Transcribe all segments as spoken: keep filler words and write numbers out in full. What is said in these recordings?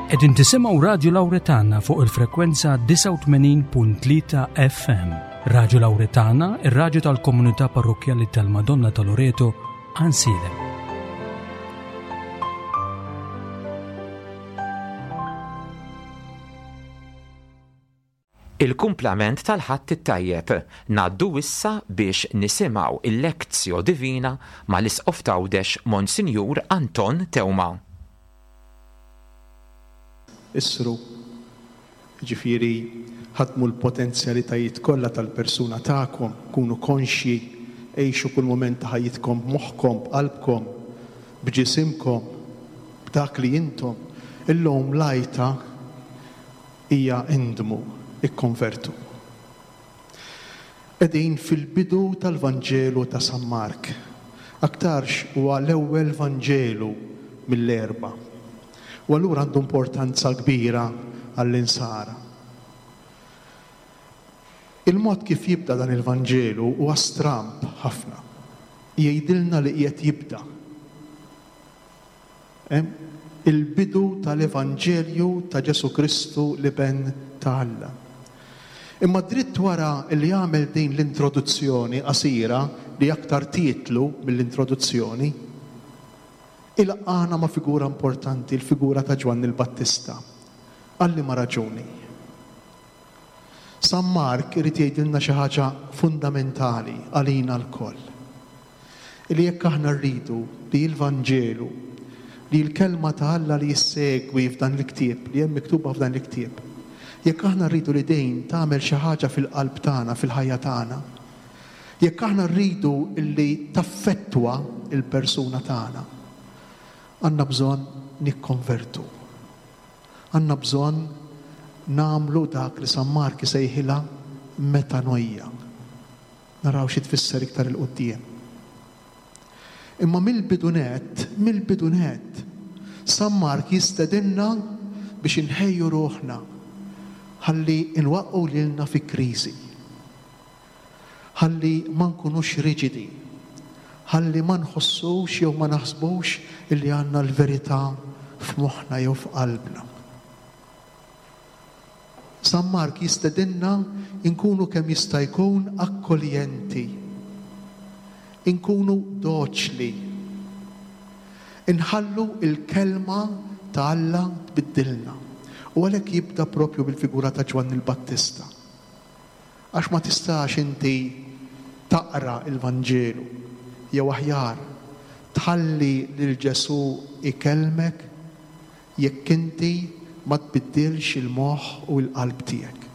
Qegħdin tisimgħu Radju Lawretana fuq il-frekwenza disgħa u tmenin punt tlieta F M. Radju Lawretana, ir-radju tal-komunità parrokkjali tal-Madonna ta' Loreto, Għajnsielem. Il-kumplament tal-Ħadd it-Tajjeb ngħaddu issa biex nisimgħu il-Lectio Divina mal-Isqof t'Għawdex Monsinjur Anton Teuma. Isru, ġifieri ħadmu l-potenzjalitajiet kollha tal-persuna tagħkom, kunu konxji, għixu kull mument ta' ħajjitkom b'moħħkom, b'qalbkom, b'ġisimkom, b'dak li intom. Illum l-għajta hija indmu, ikkonvertu. Qegħdin fil-bidu tal-Vanġelu ta' San Mark. Aktarx huwa l-ewwel Vanġelu mill-erba'. U allura għandu importanza kbira għall-insara. Il-mod kif jibda dan il-Vanġelu huwa stramb ħafna. Jgħidilna li qiegħed jibda. Hemm il-bidu tal-Evanġelju ta' Ġesu Kristu l-Iben ta' Alla. Imma dritt wara li għamel din l-introduzzjoni qasira li aktar titlu mill-introduzzjoni, il-għana ma' figura importanti, il-figura ta' Ġwanni l-Battista. Għalli ma' raġuni. San Mark irid jgħidilna xi ħaġa fundamentali għalina lkoll. Illi jekk aħna rridu li l-Vanġelu, li l-kelma ta' Alla li jissegwi f'dan il-ktieb, li hemm miktuba f'dan il-ktieb, jekk aħna rridu li dejn tagħmel xi ħaġa fil-qalb tagħna, fil-ħajja tagħna, jekk aħna rridu li taffettwa il-persuna tagħna, għandna bżonn nikkonvertu. Għandna bżonn nagħmlu dak li San Mark isejħilha metanoia. Naraw xi tfisser iktar il-quddiem. Imma mill-bidu nett, mill-bidu nett, San Mark jistedinna biex inħejju ruħna ħalli nwaqqgħu lilna fi kriżi. Ħalli ma nkunux riġidi. Ħalli ma nħossux jew ma naħsbux illi għandna l-verità f'moħħna jew f'qalbna. San Mark jistedinna nkunu kemm jista' jkun akkoljenti, inkunu doċli, inħallu il-kelma ta' Alla tbiddilna. U għalhekk jibda propju bil-figura ta' Ġwanni l-Battista. Għax ma tistax inti taqra il-Vanġelu, jew aħjar tħalli lil Ġesu ikellmek jekk inti ma tbiddilx il-moħħ u l-qalb tiegħek.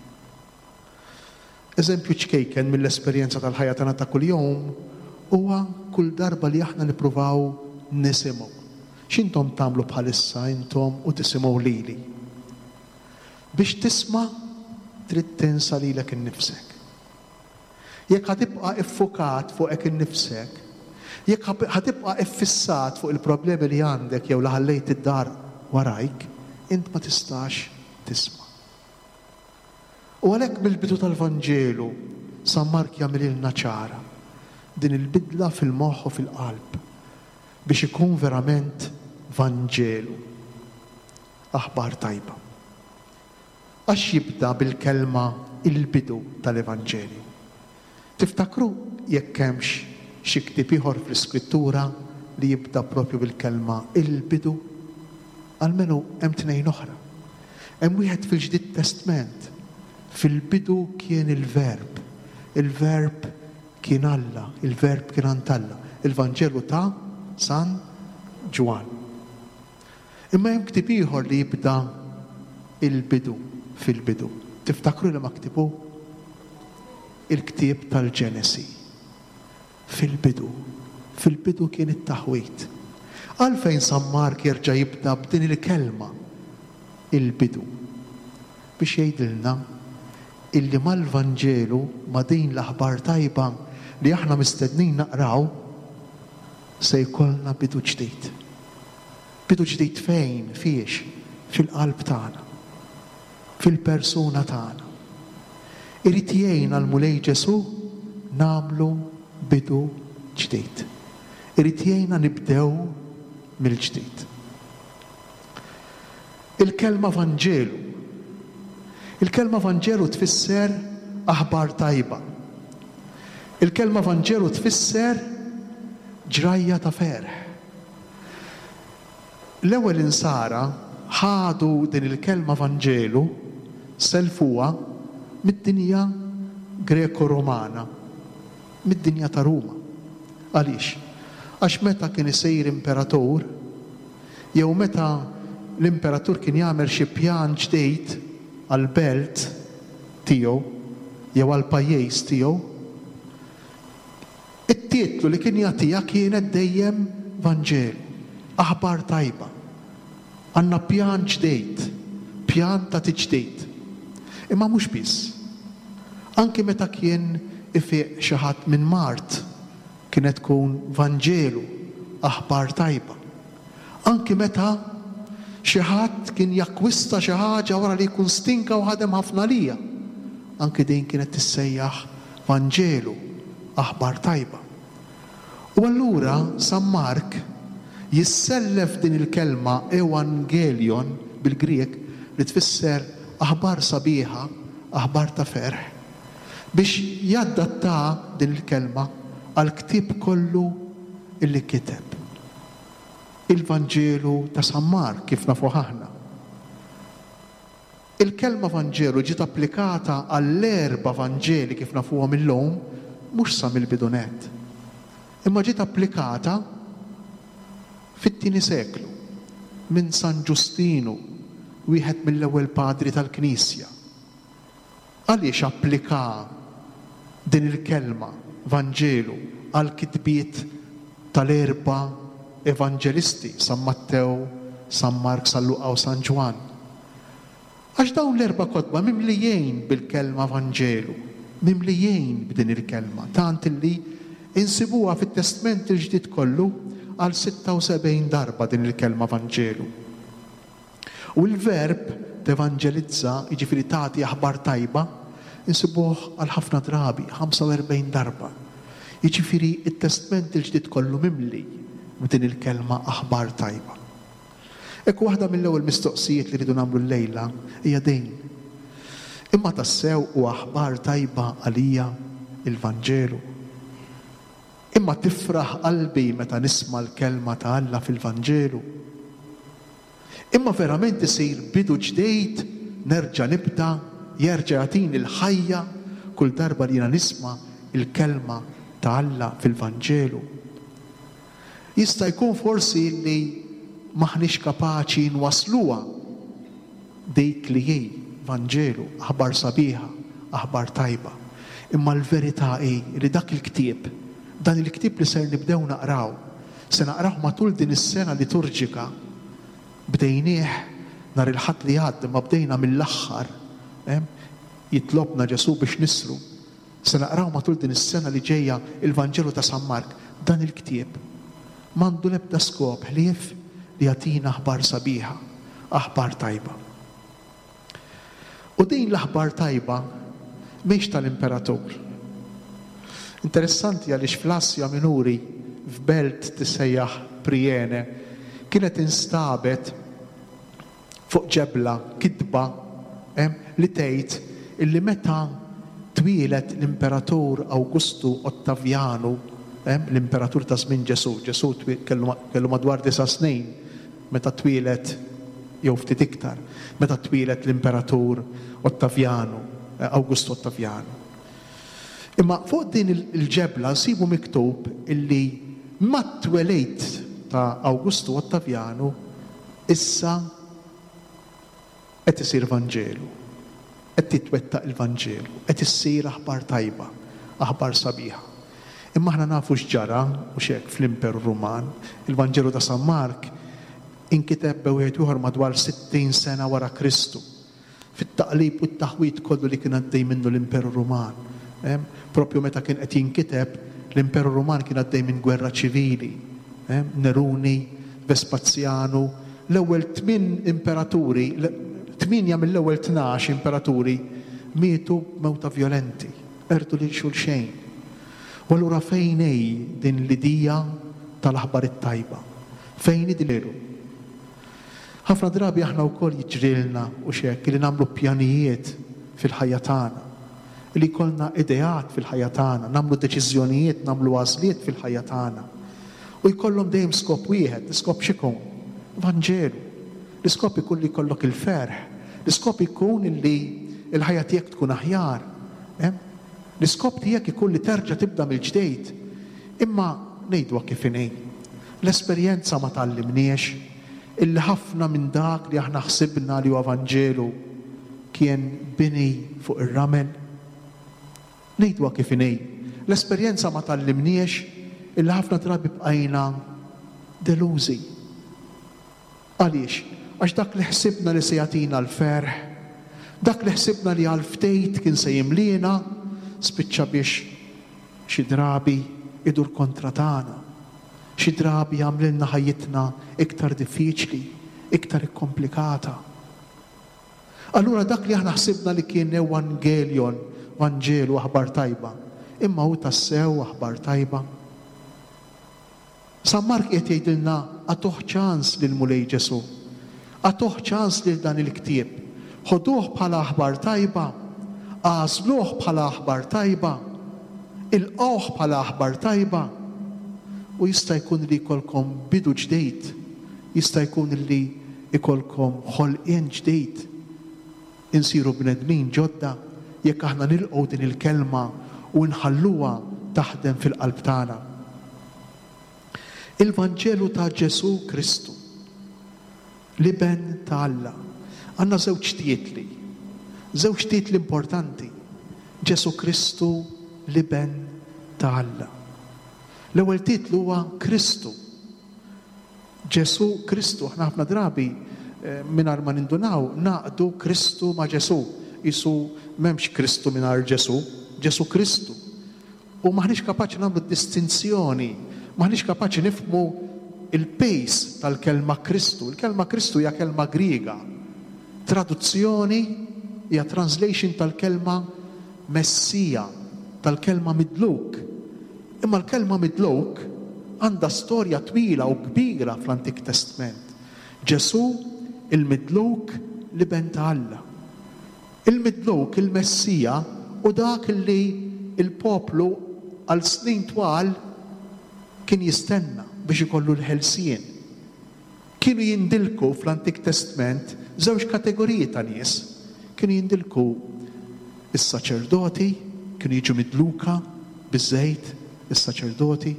Eżempju ċkejken mill-esperjenza tal-ħajja tagħna ta' kuljum huwa kull darba li aħna nippruvaw nisimgħu. X'intom tagħmlu bħalissa intom u tisimgħu lili? Biex tisma' trid tinsa lilek innifsek. Jekk ħatibqa' iffukat fuqek innifsek, jekk ħab-, ħatibqa' iffissat fuq il-problemi li għandek jew li ħallejt id-dar warajk, int ma tistax tisma'. U għalhekk mill-bidu tal-Vanġelu San Mark jagħmililna ċara din il-bidla fil-moħħ u fil-qalb biex ikun verament Vanġelu, aħbar tajba. Għax jibda bil-kelma il-bidu tal-Evanġelju. Tiftakru jekk hemmx xi ktieb ieħor fl-Iskrittura li jibda propju bil-kelma il-bidu? Almenu hemm tnejn oħra. Hemm wieħed fil-Ġdid Testment. Fil-bidu kien il-Verb. Il-Verb kien Alla, il-Verb kien għand Alla. Il-Vanġelu ta' San Ġwann. Imma hemm ktieb ieħor li jibda il-bidu fil-bidu. Tiftakru li ma ktibu? Il-ktieb tal-Ġenesi. Fil-bidu. Fil-bidu kien it-taħwit. Għalfejn San Mark jerġa' jibda b'din il-kelma il-bidu? Biex jgħidilna illi mal-Vanġelu, ma' din l-aħbar tajba li aħna mistednin naqraw, se jkollna bidu ġdid. Bidu ġdid fejn? Fiex? Fil-qalb tagħna. Fil-persuna tagħna. Irid jgħinna l-Mulej Ġesu nagħmlu bidu ġdid. Irid jgħinna nibdew mill-ġdid. Il-kelma Vanġelu. Il-kelma Vanġelu tfisser aħbar tajba. Il-kelma Vanġelu tfisser ġrajja ta' ferħ. L-ewwel insara ħadu din il-kelma Vanġelu, selfuha mid-dinja Greko-Romana, mid-dinja ta' Ruma. Għaliex? Għax meta kien isir imperatur, jew meta l-imperatur kien jagħmel xi pjan ġdid għall-belt tiegħu jew għall-pajjiż tiegħu, it-titlu li kien jagħtiha kienet dejjem Vanġelu, aħbar tajba. Għandna pjan ġdid, pjan ta' tiġdid. Imma mhux biss. Anki meta kien ifiq xi ħadd minn mard, kienet tkun Vanġelu, aħbar tajba. Anki meta xi ħadd kien jakkwista xi ħaġa wara li jkun stinka u ħadem ħafna lija, anki din kienet tissejjaħ Vanġelu, aħbar tajba. U allura San Mark jissellef din il-kelma Evangelion bil-Grieg li tfisser aħbar sabiħa, aħbar ta' ferħ, biex jaddatta din il-kelma għal-ktieb kollu illi kiteb. Il-Vanġelu ta' San Mark kif nafuh aħna. Il-kelma Vanġelu ġiet applikata għall-erba' Vanġeli kif nafuhom illum, mhux sa mill-bidunet, imma ġiet applikata fit-tieni seklu minn San Ġustinu, wieħed mill-ewwel padri tal-Knisja. Għaliex applika din il-kelma Vanġelu għal kitbiet tal-erba' evanġelisti, San Mattew, San Mark, San Luqa u San Ġwann? Għax dawn l-erba' kotba mimlijin bil-kelma Vanġelu, mimlijin b'din il-kelma, tant illi insibuha fit-Testment il-Ġdid kollu għal sitta u sebgħin darba din il-kelma Vanġelu. U l-verb tevanġelizza, jiġifieri tagħti aħbar tajba, insibuh għal ħafna drabi, ħamsa u erbgħin darba. Jiġifieri it-Testment il-Ġdid kollu mimli b'din il-kelma aħbar tajba. Ekku waħda mill-ewwel mistoqsijiet li rridu nagħmlu llejla hija din. Imma tassew u aħbar tajba għalija il-Vanġelu? Imma tifraħ qalbi meta nisma' l-kelma ta' Alla fil-Vanġelu? Imma verament isir bidu ġdejt, nerġa' nibda, jerġa' jagħtini l-ħajja kull darba li jiena nisma' il-kelma ta' Alla fil-Vanġelu? Jista' jkun forsi li maħniex kapaċi nwasluha dik li hi Vanġelu, aħbar sabiħa, aħbar tajba. Imma l-verità hi li dak il-ktieb, dan il-ktieb li ser nibdew naqraw, se naqraw matul din is-sena liturġika, bdejnieh nhar il-Ħadd li għadda, ma bdejna mill-aħħar, eh, jitlobna Ġesù biex nisru. Se naqraw matul din is-sena li ġejja il-Vanġelu ta' San Mark. Dan il-ktieb m'għandu l-ebda skop ħlief li jagħtina aħbar sabiħa, aħbar tajba. U din l-aħbar tajba mhix tal-imperatur. Interessanti għaliex fl-Asja Minuri, f'belt tissejjaħ Priene, kienet instabet fuq ġebla kitba, eh, li tgħid illi meta twieled l-imperatur Awgustu Ottavianu, eh, l-imperatur ta' żmien Ġesù, Ġesù twi-, kellu ma-, kellu madwar disa' snin meta twieled, jew ftit iktar, meta twieled l-imperatur Ottavianu, eh, Awgustu Ottavianu. Imma fuq din il-, il-ġebla nsibu miktub illi mat-twelid ta' Awgustu Ottavianu issa qed isir Vanġelu, qed titwettaq il-Vanġelu, qed issir aħbar tajba, aħbar sabiħa. Imma aħna nafu x'ġara u x'hekk fl-Imperu Ruman. Il-Vanġelu ta' San Mark inkiteb b'wieħed ieħor madwar sittin sena wara Kristu, fit-taqlib u t-taħwit kollu li kien għaddej minnu l-Imperu Ruman. Em, propju meta kien qed jinkiteb, l-Imperu Ruman kien għaddej minn gwerra ċivili. Em, Neruni, Vespasjanu, l-ewwel tmien imperaturi, le-, tmienja mill-ewwel tnax imperaturi mietu b'mewta vjolenti, qerdu lil xulxejn. U allura fejn hi din l-idea tal-aħbar it-tajba? Fejn hi din l-eru? Ħa Ħafna drabi aħna wkoll jiġrilna u xek li nagħmlu pjanijiet fil-ħajja tagħna, li jkollna ideat fil-ħajja tagħna, nagħmlu deċiżjonijiet, nagħmlu għażliet fil-ħajja tagħna. U jkollhom dejjem skop wieħed, l-iskop x'ikun? Vanġelu. L-iskop ikun li jkollok il-ferħ, l-iskop ikun li l-ħajja tiegħek tkun aħjar. L-iskop tiegħek ikun li terġa' tibda mill-ġdejt. Imma ngħidwa kif inhi. L-esperjenza ma tgħallimniex illi ħafna minn dak li aħna ħsibna li huwa Vanġelu kien bini fuq ir-ramel. Ngħidwa kif inhi. L-esperjenza ma tgħallimniex illi ħafna drabi bqajna delużi. Għaliex? Għax dak li ħsibna li se jagħtina l-ferħ, dak li ħsibna li għal ftejt kien se jimliena, spiċċa biex xi drabi idur kontra tagħna. Xi drabi jagħmlilna ħajjitna iktar diffiċli, iktar ikkomplikata. Allura dak li aħna ħsibna li kien evangelion, Vanġelu, aħbar tajba, imma hu tassew aħbar tajba. San Mark qed jgħidilna agħtuh ċans lil Mulej Ġesu, agħtuh ċans lil dan il-ktieb, ħoduh bħala aħbar tajba, għażluh bħala aħbar tajba, ilqgħuh bħala aħbar tajba. U jista' jkun li jkollkom bidu ġdejt, jista' jkun li jkollkom ħolqien ġdejt, insiru bnedmin ġodda jekk aħna nilqgħu din il-kelma u nħalluha taħdem fil-qalb tagħna. Il-Vanġelu ta' Ġesu Kristu, l-Iben ta' Alla. Għandna żewġ titli, żewġ titli importanti. Ġesu Kristu, l-Iben ta' Alla. L-ewwel titlu huwa Kristu. Ġesu Kristu, aħna ħafna drabi mingħajr ma nindunaw naqdu Kristu ma' Ġesu. Isu m'hemmx Kristu mingħajr Ġesu, Ġesu Kristu. U maħniex kapaċi nagħmlu distinzjoni, maħniex kapaċi nifhmu il-pejs tal-kelma Kristu. Il-kelma Kristu hija kelma Griega. Traduzzjoni hija translation tal-kelma Messija, tal-kelma midluk. Imma l-kelma midluk għandha storja twila u kbira fl-Antik Testament. Ġesu il-midluk, l-Iben ta' Alla. Il-midluk, il-Messija, u dak li il-poplu għal snin twal kien jistenna biex ikollu l-ħelsien. Kienu jindilku fl-Antik Testament żewġ kategoriji ta' nies. Kienu jindilku is-saċerdoti, kienu jiġu midluka biż-żejt, is-saċerdoti,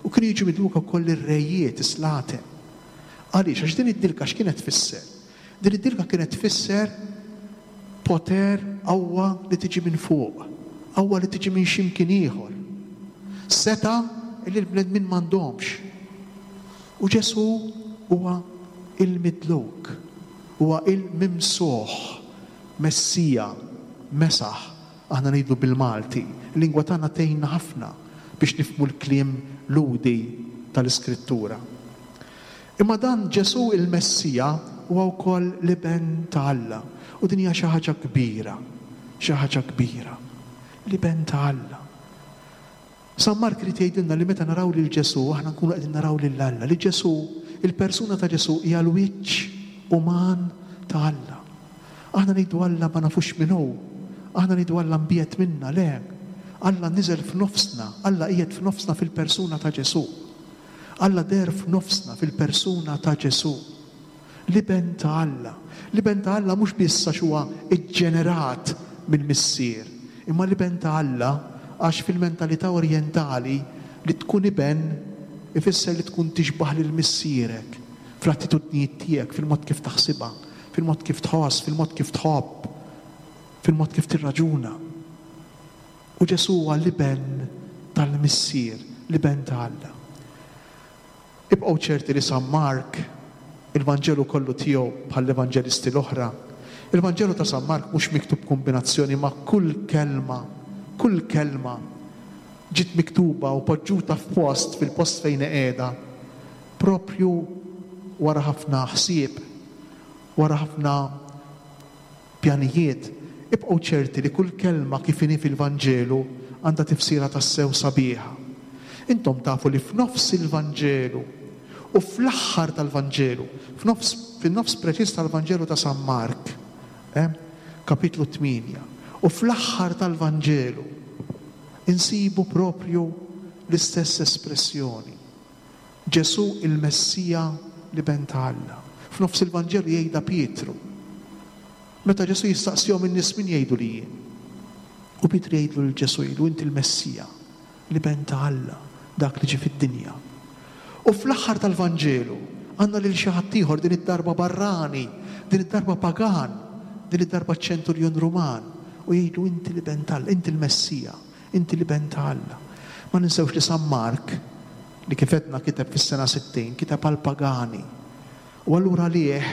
u kienu jiġu midluka wkoll ir-rejiet, is-slaten. Għaliex? Għax din id-dilka x'kienet tfisser? Din id-dilka kienet tfisser poter, qawwa li tiġi minn fuq, qawwa li tiġi minn x'imkien ieħor. Seta li l-bnedmin m'għandhomx. U Ġesu huwa il-midluk, huwa il-mimsuħ, Messija, Mesaħ, aħna ngħidu bil-Malti. Il-lingwa tagħna tgħinna ħafna biex nifhmu l-kliem ludi tal-Iskrittura. Imma dan Ġesu il-Messija huwa wkoll l-Iben ta' Alla. U din hija xi ħaġa kbira, xi ħaġa kbira. L-Iben ta' Alla. San Mark irid jgħidilna li meta naraw lil Ġesu aħna nkunu qegħdin naraw lil Alla, li Ġesu, il-persuna ta' Ġesu hija l-wiċċ uman ta' Alla. Aħna ngħidu Alla ma nafux min hu, aħna ngħidu Alla mbiegħed minna, le. Alla niżel f'nofsna, Alla qiegħed f'nofsna fil-persuna ta' Ġesu. Alla der f'nofsna fil-persuna ta' Ġesu. L-Iben ta' Alla. L-Iben ta' Alla mhux biss għax huwa iġġenerat mill-Missier, imma l-Iben ta' Alla għax fil-mentalità orjentali li tkun iben ifisser li tkun tixbaħ lil missierek fl-attitudnijiet tiegħek, fil-mod kif taħsibha, fil-mod kif tħoss, fil-mod kif tħobb, fil-mod kif tirraġuna. U Ġesu huwa l-Iben tal-Missier, l-Iben ta' Alla. Ibqgħu ċerti li San Mark, il-Vanġelu kollu tiegħu bħall-evanġelisti l-oħra, il-Vanġelu ta' San Mark mhux miktub kombinazzjoni ma' kull kelma, kull kelma ġiet miktuba u poġġuta f'post, fil-post fejn qiegħda, propju wara ħafna ħsieb, wara ħafna pjanijiet. Ibqgħu ċerti li kull kelma kif inhi fil-Vanġelu għandha tifsira tassew sabiħa. Intom tafu li f'nofs il-Vanġelu U fl-aħħar tal-Vanġelu, fin-nofs preċiż tal-Vanġelu ta' San Mark, eh, kapitlu tmienja, u fl-aħħar tal-Vanġelu insibu propju l-istess espressjoni. Ġesù il-Messija, l-Iben ta' Alla. F'nofs il-Vanġelu jgħidha Pietru. Meta Ġesù jistaqsihom in-nies min jgħidu li jien. U Pietru jgħidlu lil Ġesù, jgħidlu inti l-Messija, l-Iben ta' Alla, dak li ġie fid-dinja. U fl-aħħar tal-Vanġelu għandna lil xi ħadd ieħor, din id-darba barrani, din id-darba pagan, din id-darba ċenturjon Ruman, u jgħidlu inti l-Iben ta' Alla, inti l-Messija, inti l-Iben ta' Alla. Ma ninsewx li San Mark, li kif għedna kiteb fis-sena sittin, kiteb għal pagani. U allura għalih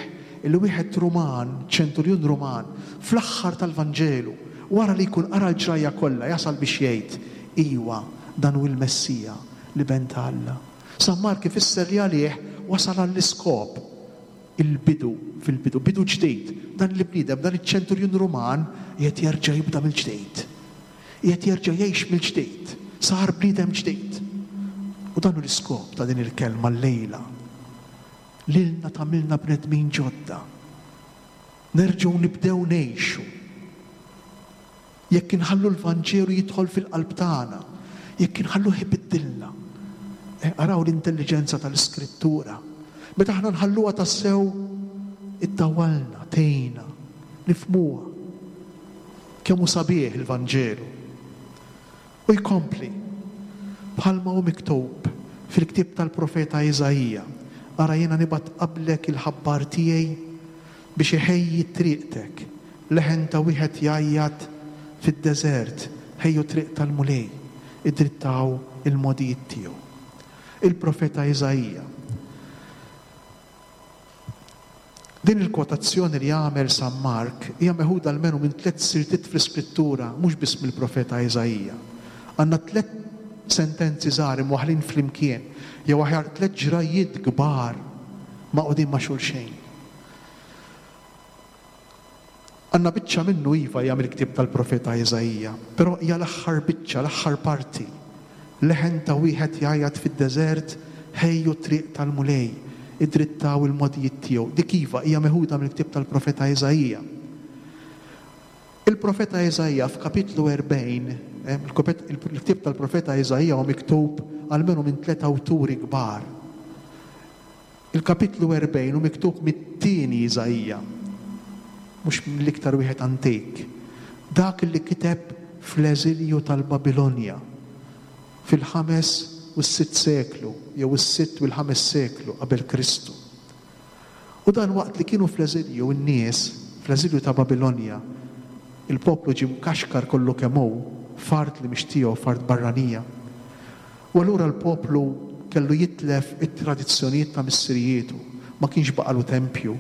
il-wieħed Ruman, ċenturjun Ruman, fl-aħħar tal-Vanġelu, wara li jkun qara l-ġrajja kollha, jasal biex jgħid, iwa, dan hu l-Messija, l-Iben ta' Alla. San Mark ifisser li għalih wasal għall-iskop, il-bidu, fil-bidu, bidu ġdid. Dan il-bniedem, dan iċ-ċenturjun Ruman, qiegħed jerġa' jibda mill-ġdid. Qiegħed jerġa' jgħix mill-ġdid. Sar bniedem ġdid. U dan hu l-iskop ta' din il-kelma llejla. Lilna tagħmilna bnedmin ġodda. Nerġgħu nibdew ngħixu. Jekk inħallu l-Vanġelu jidħol fil-qalb tagħna, jekk inħalluh ibiddilna. Araw l-intelliġenza tal-Iskrittura. Meta aħna nħalluha tassew iddawwalna, tgħinna, nifhmuha. Kemm hu sabiħ il-Vanġelu. U jkompli bħalma hu miktub fil-ktieb tal-profeta Iżaija. Ara jiena nibgħat qablek il-ħabbar tiegħi biex iħejji triqtek. Leħen ta' wieħed jgħajjat fid-deżert, ħejju triq tal-Mulej, idrittaw il-modijiet tiegħu. Il-profeta Iżaija. Din il-kwotazzjoni li għamel San Mark hija meħuda almenu minn tliet siltiet fl-Iskrittura, mhux biss mill-profeta Iżaija. Għandna tliet sentenzi żgħar imwaħħlin flimkien, jew aħjar tliet ġrajjiet kbar maqgħudin ma' xulxejn. Għandna biċċa minnu iva hija mill-ktieb tal-profeta Iżaija, però hija l-aħħar biċċa, l-aħħar parti. Leħen ta' wieħed jgħajjat fid-deżert, ħejju triq tal-Mulej, idrittaw il-modijiet tiegħu. Dik iva hija meħuda mill-ktieb tal-profeta Iżaija. Il-profeta Iżaija f'kapitlu erbgħin, il-ktieb tal-profeta Iżaija huwa miktub almenu minn tliet awturi kbar. Il-kapitlu erbgħin hu miktub mit-tieni Iżaija, mhux mill-iktar wieħed antik. Dak li kiteb fl-eżilju tal-Babilonja fil-ħames u s-sitt seklu, jew is-sitt u l-ħames seklu qabel Kristu. U dan waqt li kienu fl-eżilju n-nies, fl-eżilju ta' Babilonja, il-poplu ġie mkaxkar kollu kemm hu, f'art li mhix tiegħu, f'art barranija. U allura l-poplu kellu jitlef it-tradizzjonijiet ta' missirietu, ma kienx baqalu tempju,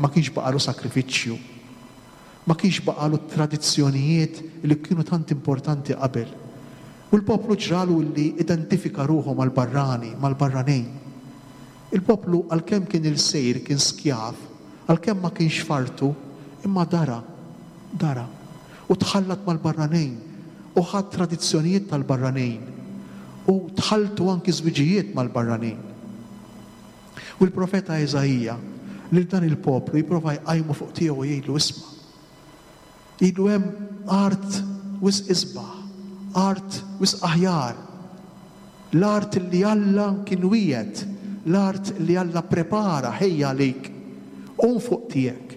ma kienx baqalu sakrifiċċju, ma kienx baqalu tradizzjonijiet li kienu tant importanti qabel. U l-poplu ġralu li identifika ruħu mal-barrani, mal-barranin. Il-poplu għalkemm kien il-sejr, kien skjav, għalkemm ma kienx fartu, imma dara, dara. U tħallat mal-barranin, u ħad tradizzjonijiet tal-barranin, u tħalltu anki żwiġijiet mal-barranin. U l-profeta Iżaija lil dan il-poplu jipprova jqajmu fuq tiegħu u jgħidlu isma'. Jgħidlu hemm art wisq isbaħ, art wisq aħjar, l-art li Alla kien wiegħed, l-art li Alla prepara ħejja għalik, qum fuq tiegħek.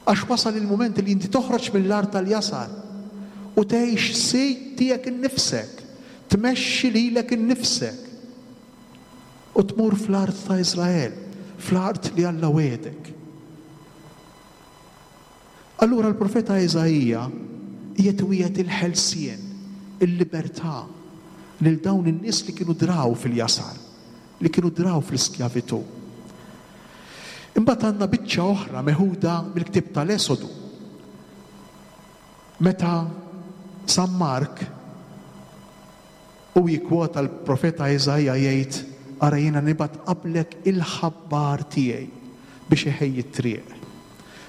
Għax wasal il-mument li inti toħroġ mill-art tal-jasar u tgħix sid tiegħek innifsek, tmexxi lilek innifsek u tmur fl-art ta' Iżrael, fl-art li Alla wiegħdek. Allura l-profeta Iżaija qiegħed iwiegħed il-ħelsien, il-libertà lil dawn in-nies li kienu draw fil-jasar, li kienu draw fl-iskjavitù. Imbagħad għandna biċċa oħra meħuda mill-ktieb tal-Esodu. Meta San Mark u jikkwota l-profeta Iżaija jgħid, ara jiena nibgħat qablek il-ħabbar tiegħi biex iħejji t-triq.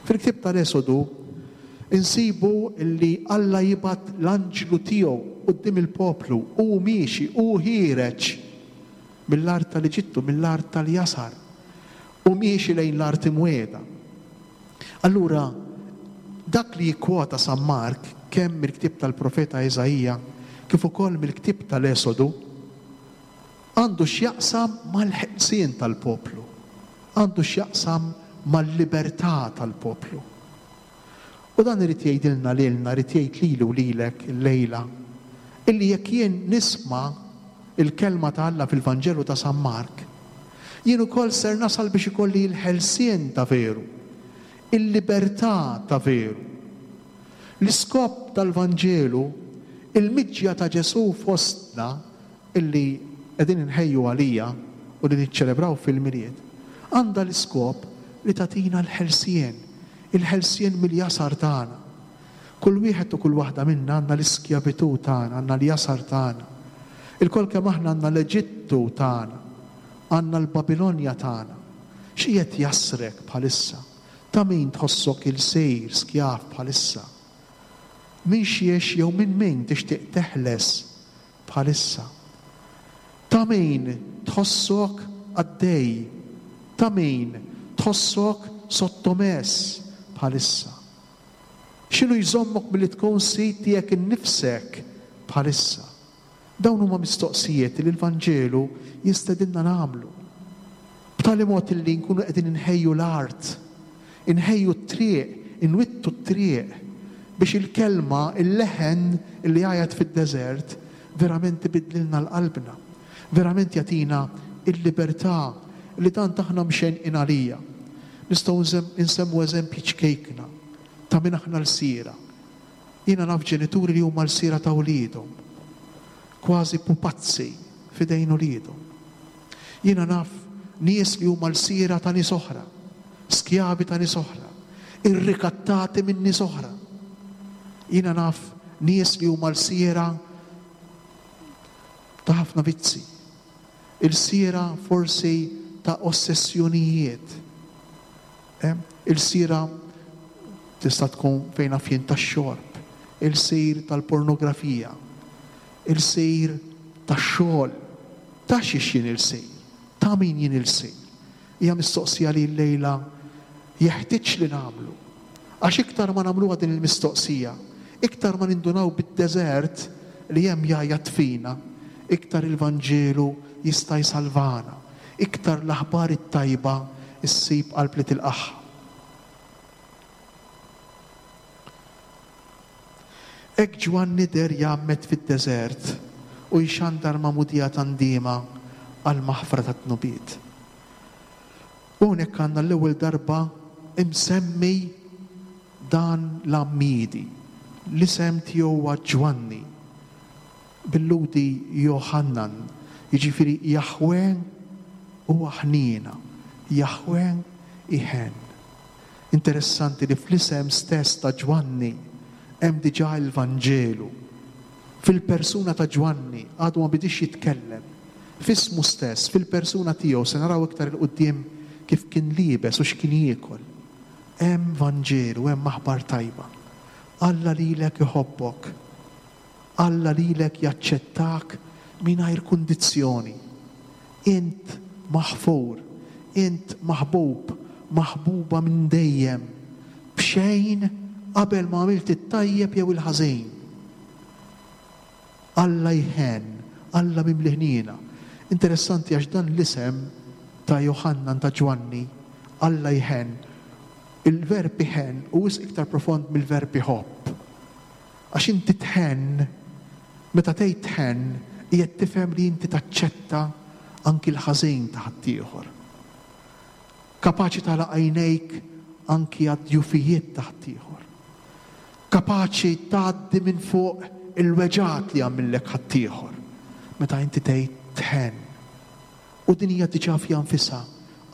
Fil-ktieb tal-Esodu insibu li Alla jibgħat l-anġlu tiegħu quddiem il-poplu, hu miexi, hu ħiereġ mill-art tal-Eġittu, mill-art tal-jasar, u miexi lejn l-art imwiegħda. Allura, dak li jikkwota San Mark kemm mill-ktieb tal-profeta Iżaija kif ukoll mill-ktieb tal-Esodu għandu x'jaqsam mal-ħelsien tal-poplu, għandu x'jaqsam mal-libertà tal-poplu. U dan irid jgħidilna lilna, irid jgħid lili u lilek illejla, illi jekk jien nisma' il-kelma ta' Alla fil-Vanġelu ta' San Mark, jien ukoll ser nasal biex ikolli l-ħelsien ta' veru, il-libertà ta' veru. L-iskop tal-Vanġelu, il-miġja ta' Ġesù fostna illi qegħdin inħejju għalija u li niċċelebraw fil-Milied, għandha l-iskop li tagħtina l-ħelsien, il-ħelsien mill-jasar tagħna. Kull wieħed u kull waħda minna għandna l-iskjavitù tagħna, għandna l-jasar tagħna. Ilkoll kemm aħna għandna l-Eġittu tagħna, għandna l-Babilonja tagħna. X'qiegħed jasrek bħalissa? Ta' min tħossok ilsir skjav bħalissa? Min xiex jew minn min tixtieq teħles bħalissa? Ta' min tħossok għaddej? Ta' min tħossok sottomess bħalissa? X'inhu jżommok milli tkun sid tiegħek innifsek bħalissa? Dawn huma mistoqsijiet li l-Vanġelu jistedinna nagħmlu. B'tali mod li nkunu qegħdin inħejju l-art, inħejju t-triq, inwittu t-triq biex il-kelma, il-leħen li għajat fid-deżert verament ibiddlilna l-qalbna, verament jagħtina il-libertà li tant aħna mxenqin għalija. Nistgħu nsemmu eżempji ċkejkna ta' min aħna lsiera. Jiena naf ġenituri li huma lsiera ta' wliedhom, kważi pupazzi f'idejn uliedhom. Jiena naf nies li huma lsiera ta' nies oħra, skjavi ta' nies oħra, irrikattati minn nies oħra. Jiena naf nies li huma lsiera ta' ħafna vizzi, ilsiera forsi ta' ossessjonijiet, ilsiera tista' tkun fejn naf jien tax-xorb, ilsir tal-pornografija, ilsir tax-xogħol. Ta' xiex jien ilsir? Ta' min jien ilsir? Hija mistoqsija li llejla jeħtieġ li nagħmlu. Għax iktar ma nagħmluha din il-mistoqsija, iktar ma nindunaw bid-deżert li hemm jgħajjat fina, iktar il-Vanġelu jista' jsalvana, iktar l-aħbar it-tajba issib qalb li tilqaħ. Hekk Ġwanni der jgħammed fid-deżert u jxandar magħmudija ta' ndiema għall-maħfra tat-tnubiet. U hawnhekk għandna l-ewwel darba imsemmi dan l-għammiedi. L-isem tiegħu huwa Ġwanni, bil-Lhudi Johannan, jiġifieri Jaħwe huwa ħniena, Jaħwe iħen. Interessanti li fl-isem stess ta' Ġwanni hemm diġà il-Vanġelu. Fil-persuna ta' Ġwanni għadu ma bidix jitkellem. F'ismu stess, fil-persuna tiegħu, se naraw iktar il-quddiem kif kien liebes u x'kien jiekol. Hemm Vanġelu, hemm aħbar tajba. Alla lilek iħobbok. Alla lilek jaċċettak mingħajr kundizzjoni. Int maħfur, int maħbub, maħbuba minn dejjem, b'xejn qabel ma għamilt it-tajjeb jew il-ħażin. Alla jħenn, Alla mimli ħniena. Interessanti għax dan l-isem ta' Johannan ta' Ġwanni, Alla jħenn, il-verb iħenn hu wisq iktar profond mill-verb iħobb. Għax inti tħenn, meta tgħid tħenn, qiegħed tifhem li inti taċċetta anki l-ħażin ta' ħaddieħor. Kapaċi tagħlaq għajnejk anki għad-djufijiet ta' ħaddieħor. Kapaċi tgħaddi minn fuq il-weġgħat li għamillek ħaddieħor. Meta inti tgħid tħenn. U din hija diġà fiha nfisha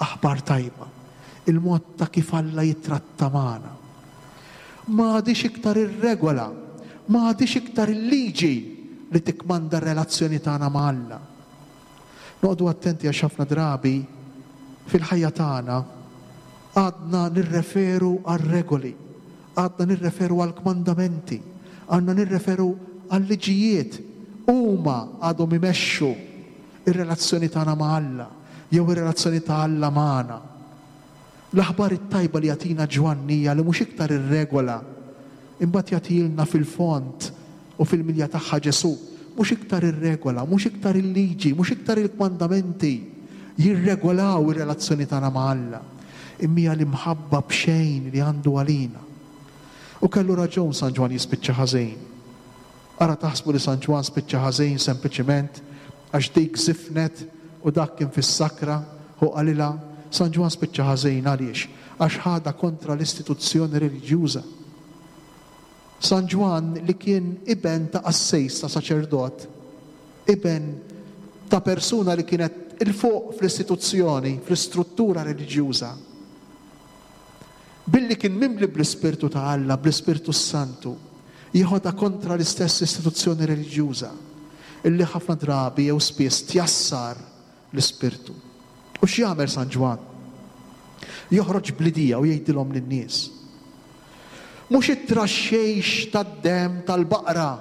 aħbar tajba. Il-mod ta' kif Alla jitratta magħna. Ma għadix iktar ir-regola, ma għadix iktar il-liġi li tikkmanda r-relazzjoni tagħna ma' Alla. Noqogħdu attenti għax ħafna drabi fil-ħajja tagħna għadna nirreferu għar-regoli, għadna nirreferu għall-kmandamenti, għadna nirreferu għal-liġijiet. Huma għadhom imexxu, Ir-relazzjoni tagħna ma' Alla, jew ir-relazzjoni ta' Alla magħna. L-aħbar it-tajba li jagħtina Ġwanni hija li mhux iktar ir-regola, imbagħad jagħtilna fil-fond u fil-milja tagħha Ġesù, mhux iktar ir-regola, mhux iktar il-liġi, mhux iktar il-kmandamenti jirregolaw ir-relazzjoni tagħna ma' Alla, imma hija l-imħabba b'xejn li għandu għalina. U kellu raġun San Ġwann jispiċċa ħażin. Ara taħsbu li San Ġwann spiċċa ħażin sempliċiment għax dik żifnet u dak kien fis-sakra u qalilha. San Ġwann spiċċa ħażin għaliex? Għax ħadha kontra l-istituzzjoni reliġjuża. San Ġwann li kien iben ta' qassejs, ta' saċerdot, iben ta' persuna li kienet il-fuq fl-istituzzjoni, fl-istruttura reliġjuża, billi kien mimli bl-Ispirtu ta' Alla, bl-Ispirtu Santu, jieħodha kontra l-istess istituzzjoni reliġjuża illi ħafna drabi jew spiss tjassar l-Ispirtu. U x'jagħmel San Ġwann? Joħroġ bl-idea u jgħidilhom lin-nies. Mhux it-traxxejx tad-demm tal-baqra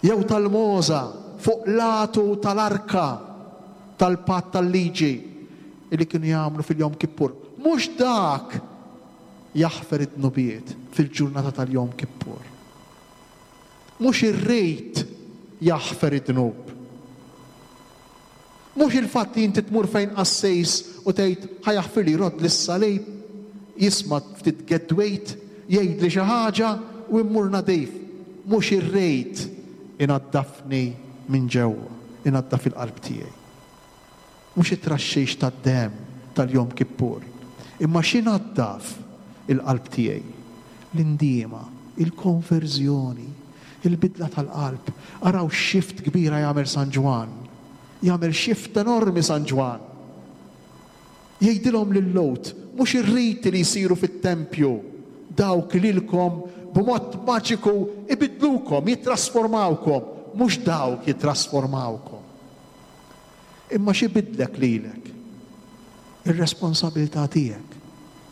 jew tal-mogħża fuq l-għatu tal-arka tal-patt tal-liġi illi kienu jagħmlu fil-Jom Kippur. Mhux dak jaħfer id-dnubiet fil-ġurnata tal-Jom Kippur. Mhux ir-rejt jaħfer id-dnub. Mhux il-fatt li inti tmur fejn qassejs u tgħid ħa jaħfirli, jrodd lis-salib, jisma' ftit gedwejt, jgħidli xi ħaġa u mmur nadif. Mhux ir-rejt inaddafni minn ġewwa, inaddaf il-qalb tiegħi. Mhux it-traxxix tad-demm tal-Jom Kippur, imma x'inaddaf il-qalb tiegħi? L-indiema, il-konverżjoni, il-bidla tal-qalb. Araw xift kbira jagħmel San Ġwann. Jagħmel xift enormi San Ġwann. Jgħidilhom lil-Lhud, mhux ir-riti li jsiru fit-tempju, dawk lilkom b'mod maġiku ibidlukom, jittrasformawkom, mhux dawk jittrasformawkom. Imma x'ibidlek lilek? Ir-responsabilità tiegħek,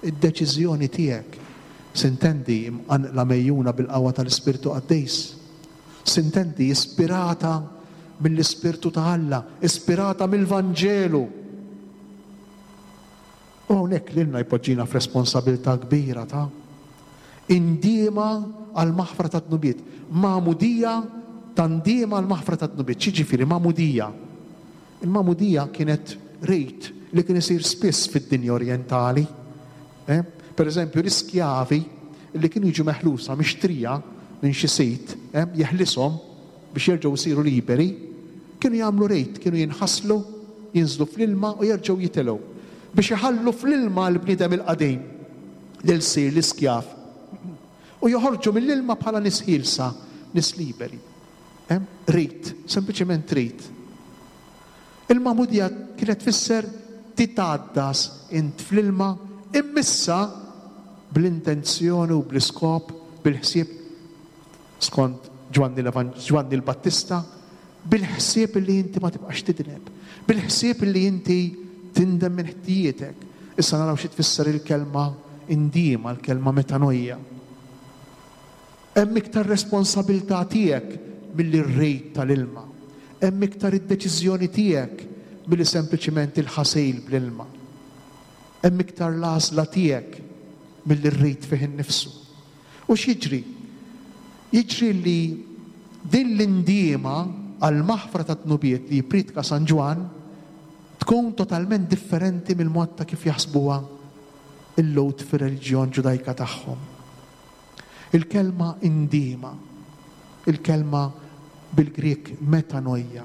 id-deċiżjoni tiegħek, sintendi imqanqla mejjuna bil-qawwa tal-Ispirtu Qaddis, sintendi ispirata mill-Ispirtu ta' Alla, ispirata mill-Vanġelu. U hawnhekk lilna jpoġġina f'responsabilità kbira ta' indiema għal maħfra ta' dnubiet, magħmudija ta' ndiema għal maħfra ta' dnubiet. X'jiġifieri magħmudija? Il-magħmudija kienet rejt li kien isir spiss fid-dinja orjentali. Eh? Per eżempju, l-iskjavi li kienu jiġu meħlusa mixtrija minn xi sit, eh, jeħlishom biex jerġgħu jsiru liberi, kienu jagħmlu rejt, kienu jinħaslu, jinżlu fl-ilma u jerġgħu jitilgħu biex iħallu fl-ilma l-bniedem il-qadim lil sir l-iskjav u joħorġu mill-ilma bħala nies ħielsa, nies liberi. Eh? Rejt, sempliċement rejt. Il-magħmudija kienet tfisser titgħaddas int fl-ilma immissa bl-intenzjoni u bl-iskop, bil-ħsieb skont Ġwanni l-Evan-, Ġwanni l-Battista, bil-ħsieb li inti ma tibqax tidneb, bil-ħsieb li inti tindem minn ħtijietek. Issa naraw xi tfisser il-kelma indiema, il-kelma metanoia. Hemm iktar responsabilità tiegħek milli r-rejt tal-ilma. Hemm iktar id-deċiżjoni tiegħek milli sempliċiment il-ħasil bl-ilma. Hemm iktar l-għażla tiegħek milli r-rejt fih innifsu. U x'jiġri? Jiġri li din l-indiema għal-maħfra ta' dnubiet li jippriedka San Ġwann tkun totalment differenti mill-mod ta' kif jaħsbuha il-Lhud fir-reliġjon ġudajka tagħhom. Il-kelma indiema, il-kelma bil-Grek metanoia.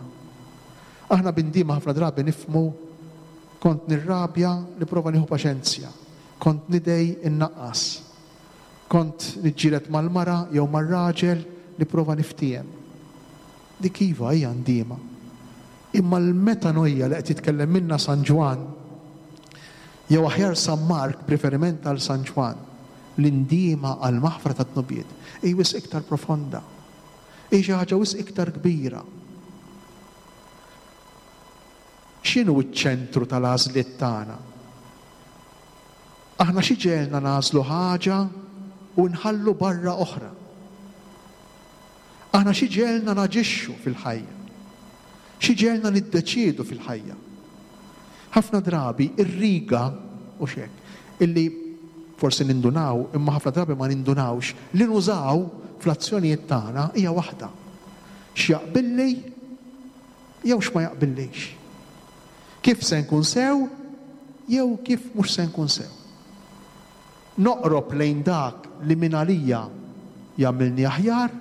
Aħna b'indiema ħafna drabi nifmu kont nirrabja li prova nieħu paċenzja, kont nidej innaqqas, kont niġġieled mal-mara jew mar-raġel li prova niftiehem. Dik iva hija ndiema. Imma l-metanoia li qed jitkellem minna San Ġwann, jew aħjar San Mark b'riferiment għal San Ġwann, l-indiema għal maħfra ta' dnubiet hi wisq iktar profonda, hi xi ħaġa wisq iktar kbira. X'inhu ċ-ċentru tal-għażliet tagħna? Aħna xi ġelna nagħżlu ħaġa u nħallu barra oħra. Aħna xi ġelna naġixxu fil-ħajja. X'iġegħelna niddeċiedu fil-ħajja? Ħafna drabi ir-riga, u xek, illi forsi nindunaw, imma ħafna drabi ma nindunawx, li nużaw fl-azzjonijiet tagħna hija waħda. X'jaqbilli jew x'ma jaqbillix. Kif se nkun sew jew kif mhux se nkun sew. Noqrob lejn dak li minn għalija jagħmilni aħjar,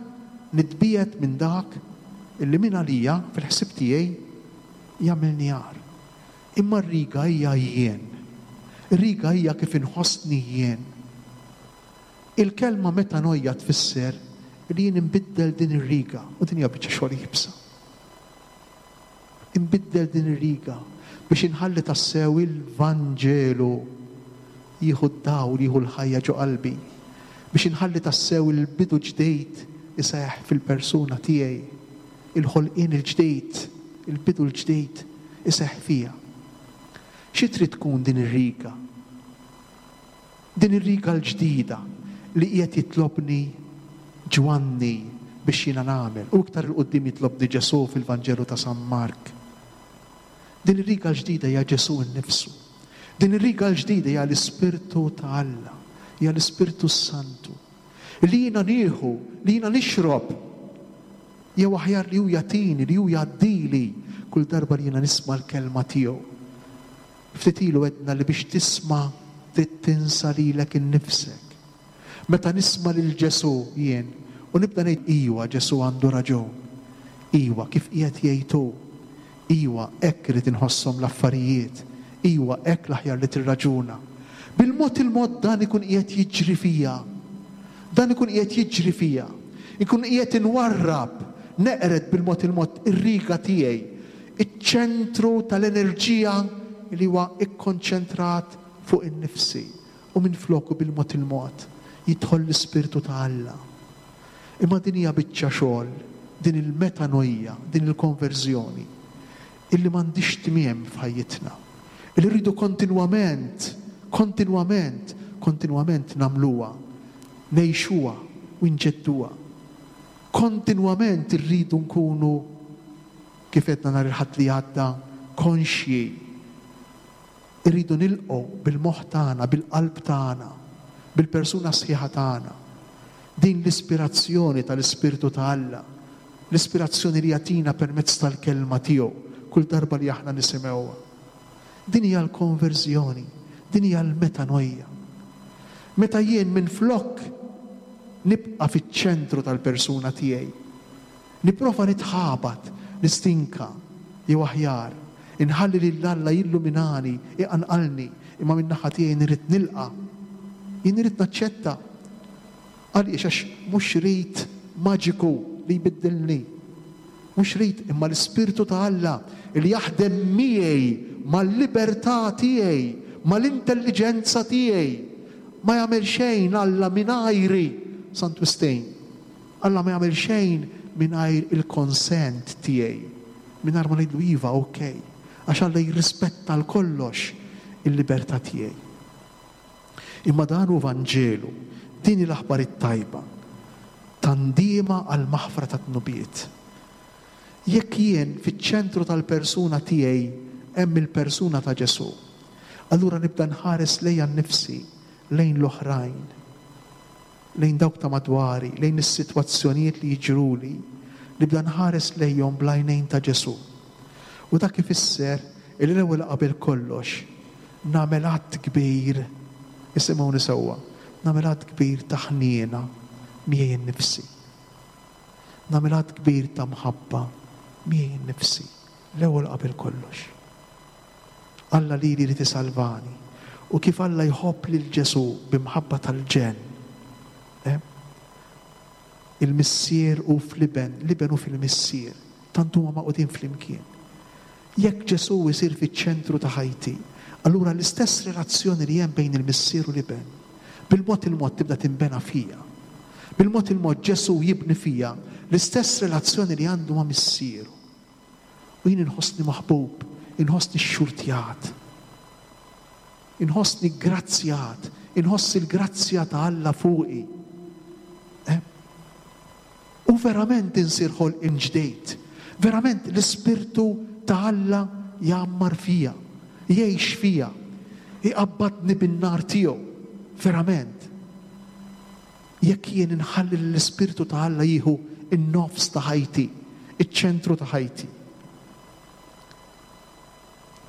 nitbiegħed minn dak illi minn għalija fil-ħsieb tiegħi jagħmilni agħar. Imma r-riga hija jien. Ir-riga hija kif inħossni jien. Il-kelma metanoia tfisser li jien inbiddel din ir-riga, u din hija biċċa xogħol iebsa. Inbiddel din ir-riga biex inħalli tassew il-Vanġelu jieħu d-dawl, jieħu l-ħajja ġo qalbi, biex inħalli tassew il-bidu ġdejt iseħħ fil-persuna tiegħi, il-ħolqien il-ġdejt, il-bidu l-ġdejt iseħħ fija. Xi trid tkun din ir-riga? Din ir-riga l-ġdida li qiegħed jitlobni Ġwanni biex jiena nagħmel, u iktar il-qudiem jitlobni Ġesù fil-Vanġelu ta' San Mark. Din ir-riga l-ġdida hija Ġesù nnifsu. Din ir-riga l-ġdida hija l-Ispirtu ta' Alla, hija l-Ispirtu Santu. Li jiena nieħu, li jiena nixrob, jew aħjar li hu jagħtini, li hu jgħaddili kull darba li jiena nisma' l-kelma tiegħu. Ftit ilu għedna li biex tisma' trid tinsa lilek innifsek. Meta nisma' lil Ġesù jien u nibda ngħid iwa Ġesù għandu raġun, iwa kif qiegħed jgħid hu, iwa hekk irid inħosshom l-affarijiet, iwa hekk l-aħjar li tirraġuna. Bil-mod il-mod dan ikun qiegħed jiġri fija. Dan ikun qiegħed jiġri fija. Ikun qiegħed inwarrab, neqred bil-mod il-mod ir-riga tiegħi, iċ-ċentru tal-enerġija li huwa ikkonċentrat fuq in-nifsi, u minn floku bil-mod il-mod jidħol l-Ispirtu ta' Alla. Imma din hija biċċa xogħol, din il-metanoia, din il-konverżjoni, illi m'għandix tmiem f'ħajjitna. Illi rridu kontinwament, kontinwament, kontinwament nagħmluha, ngħixuha u nġedduha. Kontinwament irridu nkunu, kif għedna nhar il-Ħadd li għadda, konxji. Irridu nilqgħu bil-moħħ tagħna, bil-qalb tagħna, bil-persuna sħiħa tagħna. Din l-ispirazzjoni tal-Ispirtu ta' Alla, l-ispirazzjoni li jagħtina permezz tal-kelma tiegħu kull darba li aħna nisimgħuha. Din hija l-konverżjoni, din hija l-metanoia. Meta jien minflok nibqa' fiċ-ċentru tal-persuna tiegħi, nipprova nitħabat, nistinka, jew aħjar, inħalli lil Alla jilluminani, iqanqalni, imma min-naħa tiegħi nrid nilqa', jien irid naċċetta. Għaliex? Għax mhux rid maġiku li jbiddilni. Mhux rid imma l-Ispirtu ta' Alla li jaħdem miegħi mal-libertà tiegħi, mal-intelligenza tiegħi. Ma jagħmel xejn Alla mingħajri, Sant Wistin. Alla ma jagħmel xejn mingħajr il-konsent tiegħi. Mingħajr ma ngħidlu iva, okej. Għax Alla jirrispetta l kollox il-libertà tiegħi. Imma dan hu Vanġelu, din hi l-aħbar it-tajba, tandiema għall-maħfra ta' dnubiet. Jekk jien fiċ-ċentru tal-persuna tiegħi hemm il-persuna ta' Ġesù, allura nibda nħares lejja nnifsi, lejn l-oħrajn, lejn dawk ta' madwari, lejn is-sitwazzjonijiet li jiġruli, nibda nħares lejhom bl-għajnejn ta' Ġesù. U dak ifisser li l-ewwel qabel kollox nagħmel att kbir, isimgħuni sewwa, nagħmel att kbir ta' ħniena miegħi nnifsi. Nagħmel att kbir ta' mħabba miegħi nnifsi, l-ewwel qabel kollox. Alla lili jrid isalvani. U kif Alla jħobb lil Ġesù b'imħabba tal-ġenn. Eh? Il-Missier hu fl-Iben, l-Iben hu fil-Missier, tant huma magħqudin flimkien. Jekk Ġesù jsir fiċ-ċentru ta' ħajti, allura l-istess relazzjoni li hemm bejn il-Missier u l-Iben, bil-mod il-mod tibda tinbena fija. Bil-mod il-mod Ġesù jibni fija l-istess relazzjoni li għandu ma' Missieru. U jien inħossni maħbub, inħossni xxurtjat, inħossni grazzjat, inħoss il-grazzja ta' Alla fuqi. Eh? U verament insir ħolqien ġdejt. Verament l-Ispirtu ta' Alla jgħammar fija, jgħix fija, iqabbadni bin-nar tiegħu. Verament. Jekk jien inħalli l-Ispirtu ta' Alla jieħu in-nofs ta' ħajti, iċ-ċentru ta' ħajti.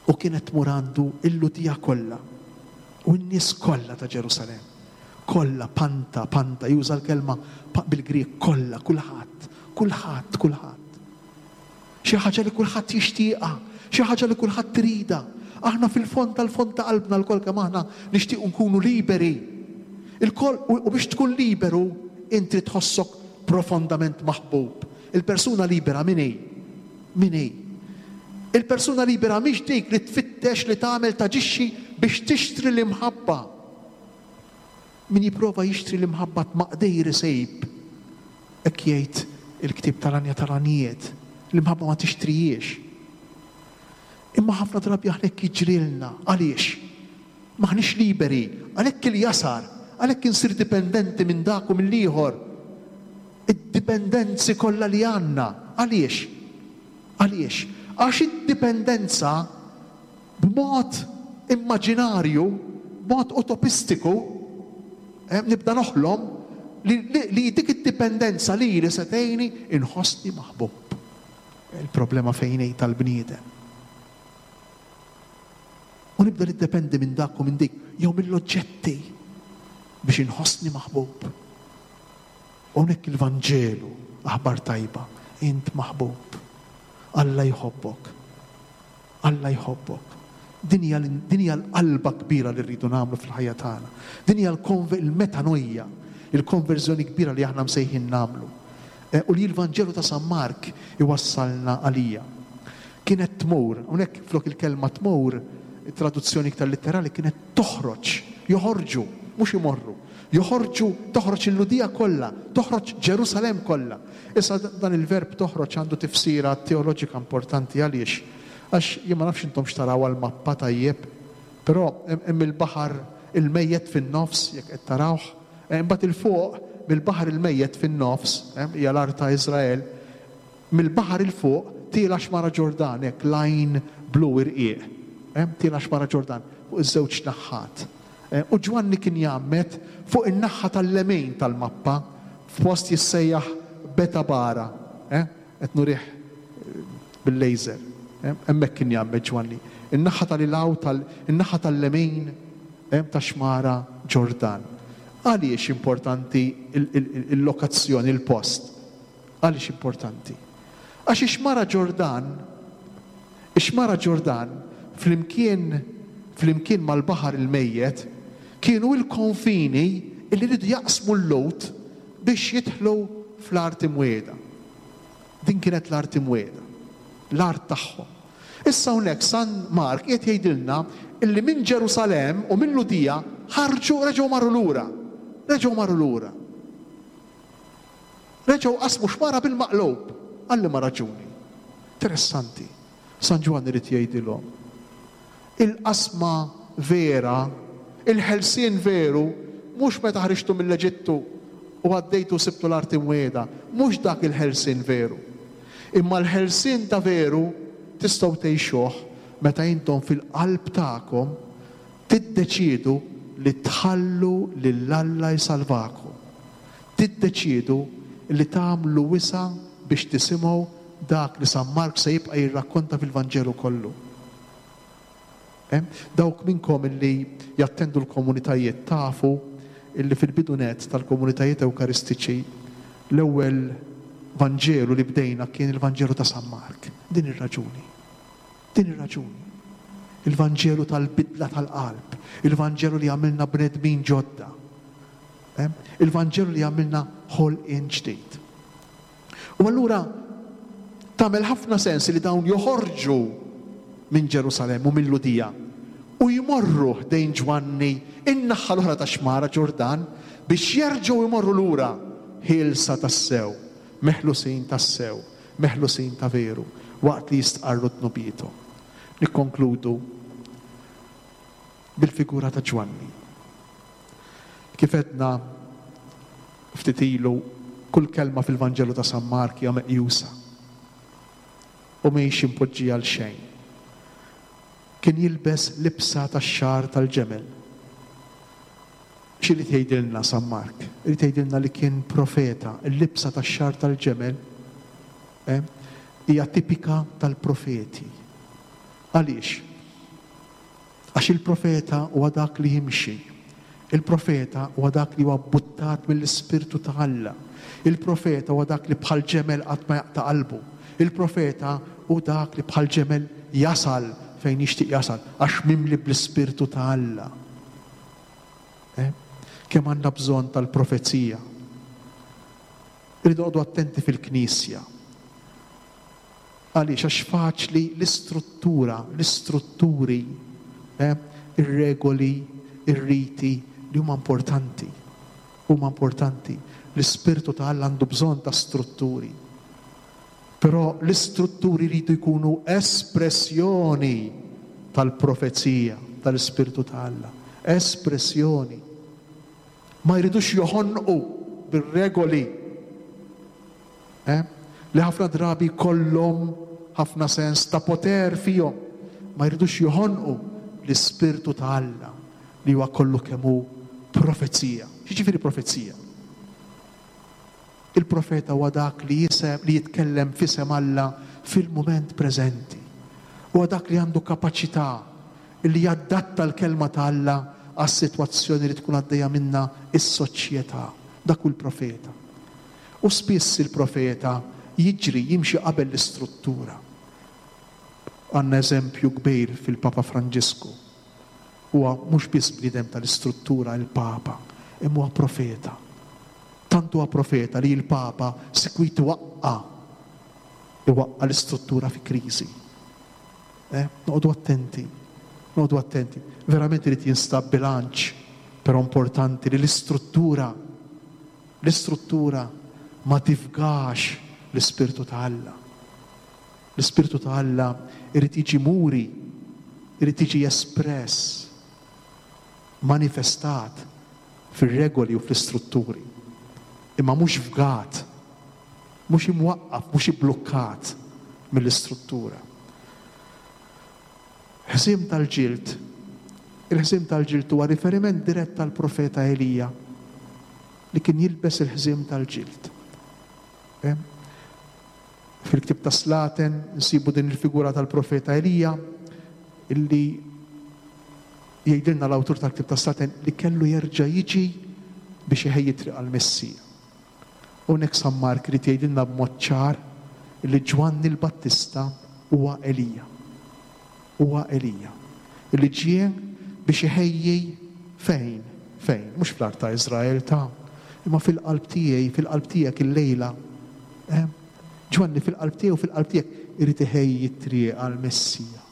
U kienet tmur għandu il-Lhudija kollha u n-nies kollha ta' Ġerusalemm. Kollha, panta, panta, juża l-kelma bil-Grieg kollha, kulħadd, kulħadd, kulħadd. Xi ħaġa li kulħadd jixtieqha, xi ħaġa li kulħadd tridha. Aħna fil-fond tal-fond ta' qalbna lkoll kemm aħna nixtiequ nkunu liberi. Il-koll, u biex tkun liberu, inti tħossok profondament maħbub. Il-persuna libera min hi? Min hi? Il-persuna libera mhix dik li tfittex li tagħmel taġixxi biex tixtri l-imħabba. Min jipprova jixtri l-imħabba tmaqdejr isejb. Hekk jgħid il-ktieb tal-Għanja tal-Għanjiet. L-imħabba ma tixtrijiex. Imma ħafna drabi aħna hekk jiġrilna. Għaliex? M'aħniex liberi. Għalhekk il-jasar, għalhekk insir dipendenti minn dak u mill-ieħor. Id-dipendenzi kollha li għandna. Għaliex? Għaliex? Għax id-dipendenza b'mod immaġinarju, b'mod utopistiku, eh, nibda noħlom li, li, li dik id-dipendenza li li se tgħinni inħossni maħbub. Il-problema fejn hi tal-bniedem. U nibda niddependi minn dak u minn dik, jew mill-oġġetti biex inħossni maħbub. U hawnhekk il-Vanġelu, aħbar tajba, int maħbub. Alla jħobbok. Alla jħobbok. Din hija l-, din hija l-qalba kbira li rridu nagħmlu fil-ħajja tagħna. Din hija l-konver-, il-metanoia, il-konverżjoni kbira li aħna msejħin nagħmlu. Eh, u li l-Vanġelu ta' San Mark iwassalna għalija. Kienet tmur, hawnhekk flok il-kelma tmur, traduzzjoni iktar litterali kienet toħroġ, joħorġu, mhux imorru. Joħorġu, toħroġ il-Lhudija kollha, toħroġ Ġerusalemm kollha. Issa dan il-verb toħroġ għandu tifsira teoloġika importanti għaliex. Għax jien ma nafx intom x'taraw għall-mappa tajjeb, però hemm il-baħar il-mejjet fin-nofs, jekk qed tarawh, imbagħad il-fuq mill-baħar il-mejjet fin-nofs, hija l-art ta' Iżrael, mill-baħar il-fuq tiela xmara Ġordan, hekk lajn blu irqiq. Tiela xmara Ġordan fuq iż-żewġ naħħat. U Ġwanni kien jgħammed fuq in-naħħa tal-lemin tal-mappa f'post jissejjaħ Betabara, qed nurih bil-laser. Hemmhekk kien jgħammed Ġwanni. In-naħħa tal-ilaw tal-, in-naħħa tal-lemin ta' xmara Ġordan. Għaliex importanti il-lokazzjoni, il-post? Għaliex importanti? Għax ix-xmara Ġordan, ix-xmara Ġordan flimkien, flimkien mal-baħar il-mejjet kienu il-konfini illi rridu jaqsmu l-Lut biex jidħlu fl-art imwiegħda. Din kienet l-art imwiegħda, l-art tagħhom. Issa hawnhekk San Mark qiegħed jgħidilna illi minn Ġerusalemm u minn Lhudija ħarġu reġgħu marru lura. Reġgħu marru lura. Reġgħu qasmu xmara bil-maqlub. Għalli ma raġuni. Interessanti. San Ġwann irid jgħidilhom. Il-qasma vera, il-ħelsien veru, mhux meta ħriġtu mill-Eġittu u għaddejtu sibtu l-art imwiegħda, mhux dak il-ħelsien veru. Imma l-ħelsien ta' veru tistgħu tgħixuh meta intom fil-qalb tagħkom tiddeċiedu li tħallu lil Alla jsalvakom. Tiddeċiedu li tagħmlu wisa' biex tisimgħu dak li San Mark se jibqa' jirrakkonta fil-Vanġelu kollu. Eh? Dawk minnkom illi jattendu l-komunitajiet tafu illi fil-bidu net tal-komunitajiet ewkaristiċi l-ewwel Vanġelu li bdejna kien il-Vanġelu ta' San Mark. Din ir-raġuni. Din ir-raġuni. Il-Vanġelu tal-bidla tal-qalb, il-Vanġelu li għamilna bnedmin ġodda. Eh? Il-Vanġelu li għamilna ħolqien ġdid. U allura tagħmel ħafna sens li dawn joħorġu minn Ġerusalemm u mill-Lhudija u jmorru ħdejn Ġwanni in-naħa l-oħra ta' xmara Ġordan biex jerġgħu jmorru lura ħielsa tassew, meħlusin tassew, meħlusin ta' veru, waqt li jistqarru dnubiethom. Nikkonkludu bil-figura ta' Ġwanni. Kif għedna ftit ilu, kull kelma fil-Vanġelu ta' San Mark hija meqjusa. U mhix impoġġija għal xejn. Kien jilbes libsa tax-xagħar tal-ġemel. X'irid jgħidilna San Mark? Irid jgħidilna li kien profeta. Il-libsa tax-xagħar tal-ġemel eh, hija tipika tal-profeti. Għaliex? Għax il-profeta huwa dak li jimxi. Il-profeta huwa dak li huwa buttat mill-Ispirtu ta' Alla. Il-profeta huwa dak li bħal ġemel qatt ma jaqta' qalbu. Il-profeta hu dak li bħal ġemel jasal fejn jixtieq jasal għax mimli bl-Ispirtu ta' Alla. Eh? Kemm għandna bżonn tal-profezija. Irridu noqogħdu attenti fil-Knisja. Għaliex għax faċli l-istruttura, l-istrutturi, eh, ir-regoli, ir-riti li huma importanti. Huma importanti. L-Ispirtu ta' Alla għandu bżonn ta' strutturi. Però l-istrutturi jridu jkunu espressjoni tal-profezija tal-Ispirtu ta' Alla. Espressjoni. Ma jridux joħonqu bir-regoli. Eh? Li ħafna drabi kollhom ħafna sens ta' poter fihom. Ma jridux joħonqu l-Ispirtu ta' Alla li huwa kollu kemm hu profezija. X'jiġifieri profezija? Il-profeta huwa dak li jisem, li jitkellem f'isem Alla fil-mument preżenti. Huwa dak li għandu kapaċità li jadatta l-kelma ta' Alla għas-sitwazzjoni li tkun għaddejja minna is-soċjetà. Dak hu l-profeta. U spiss il-profeta jiġri jimxi qabel l-istruttura. Għandna eżempju kbir fil-Papa Franġisku. Huwa mhux biss bniedem tal-istruttura il-Papa, imma huwa profeta. Tant huwa profeta li l-Papa sikwit iwaqqa' iwaqqa' l-istruttura fi kriżi. Eh? Noqogħdu attenti, noqogħdu attenti. Verament irid jinstab bilanċ, però importanti li l-istruttura l-istruttura ma tifgax l-Ispirtu ta' Alla. L-Ispirtu ta' Alla irid jiġi muri, irid jiġi espress, manifestat fir-regoli u fl-istrutturi. Imma mhux fgat, mhux imwaqqaf, mhux ibblukkat mill-istruttura. Ħżiem tal-ġild. Il-ħżiem tal-ġild huwa riferiment dirett tal-profeta Elija li kien jilbes il-ħżiem tal-ġild. Eh? Fil-ktieb ta' Slaten nsibu din il-figura tal-profeta Elija illi jgħidilna l-awtur tal-ktieb ta' Slaten li kellu jerġa' jiġi biex iħejji triq għall-Messija. Hawnhekk San Mark irid jgħidilna b'mod ċar li Ġwanni l-Battista huwa Elija. Huwa Elija. Illi ġie biex iħejji fejn? Fejn? Mhux fl-art ta' Iżrael ta' imma fil-qalb tiegħi, fil-qalb tiegħek illejla. Eh? Ġwanni fil-qalb tiegħi u fil-qalb tiegħek irid iħejji t-triq għall-Messija.